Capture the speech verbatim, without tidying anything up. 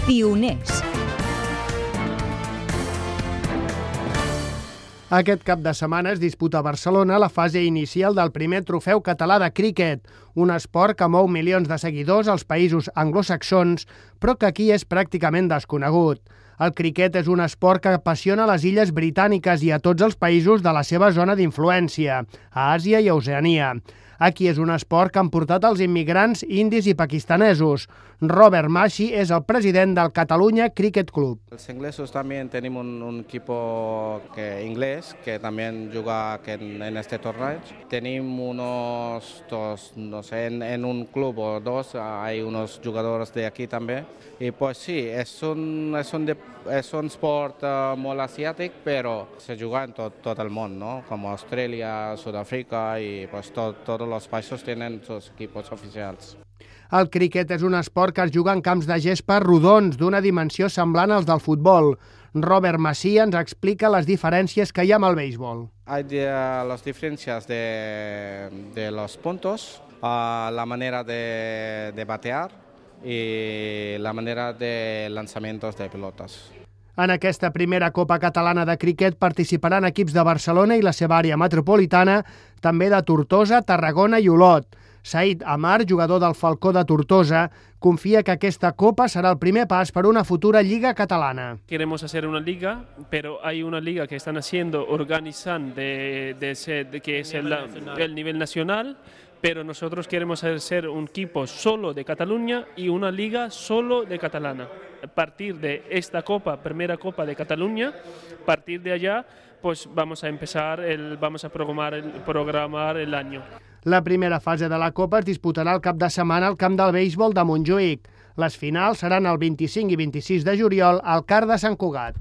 Pioners. Aquest cap de setmana es disputa a Barcelona la fase inicial del primer trofeu català de críquet, un esport que mou milions de seguidors als països anglosaxons, però que aquí és pràcticament desconegut. El criquet és un esport que apassiona les illes britàniques i a tots els països de la seva zona d'influència, a Àsia i a Oceania. Aquí és un esport que han portat els immigrants indis i pakistanesos. Robert Mashi és el president del Catalunya Cricket Club. Els inglesos también tenemos un, un equipo que, inglés que también juega en, en este torneo. Tenemos unos dos, no sé, en, en un club o dos hay unos jugadores de aquí también. Y pues sí, es un, es un, de, es un sport uh, muy asiático, pero se juega en to, todo el mundo, ¿no? Como Australia, Sudáfrica y pues to, todos los países tienen sus equipos oficiales. El criquet és un esport que es juga en camps de gespa rodons d'una dimensió semblant als del futbol. Robert Massí ens explica les diferències que hi ha amb el béisbol. Hay de, uh, las diferencias de, de los puntos, uh, la manera de, de batear y la manera de lanzamientos de pelotas. En aquesta primera Copa Catalana de Criquet participaran equips de Barcelona i la seva àrea metropolitana, també de Tortosa, Tarragona i Olot. Said Amar, jugador del Falcó de Tortosa, confia que aquesta Copa serà el primer pas per una futura Lliga Catalana. Queremos hacer una liga, pero hay una liga que están haciendo, organizando de, de, ser, de que es el, el nivel nacional, pero nosotros queremos hacer un equipo solo de Cataluña y una liga solo de catalana. A partir de esta Copa, primera Copa de Cataluña, a partir de allá, pues vamos a empezar, el, vamos a programar el, programar el año. La primera fase de la Copa es disputarà el cap de setmana al camp del béisbol de Montjuïc. Les finals seran el vint-i-cinc i vint-i-sis de juliol al Car de Sant Cugat.